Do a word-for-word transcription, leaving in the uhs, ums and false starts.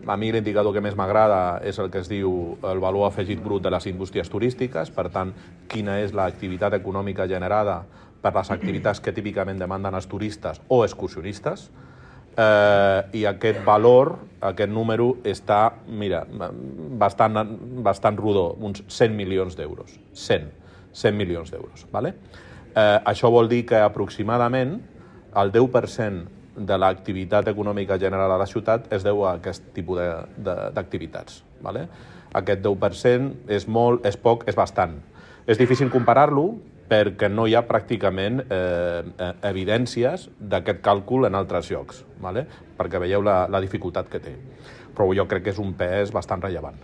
a mi l'indicador que més m'agrada és el que es diu el valor afegit brut de les indústries turístiques, per tant, quina és l'activitat econòmica generada per les activitats que típicament demanden els turistes o excursionistes, eh, i aquest valor, aquest número, està, mira, bastant, bastant rodó, uns cent milions d'euros. cent, cent milions d'euros, ¿vale? Eh, això vol dir que aproximadament el deu per cent de l'activitat econòmica general a la ciutat es deu a aquest tipus d'activitats. ¿Vale? Aquest deu per cent és molt, és poc, és bastant. És difícil comparar-lo perquè no hi ha pràcticament eh, evidències d'aquest càlcul en altres llocs, ¿vale? Perquè veieu la, la dificultat que té. Però jo crec que és un pes bastant rellevant.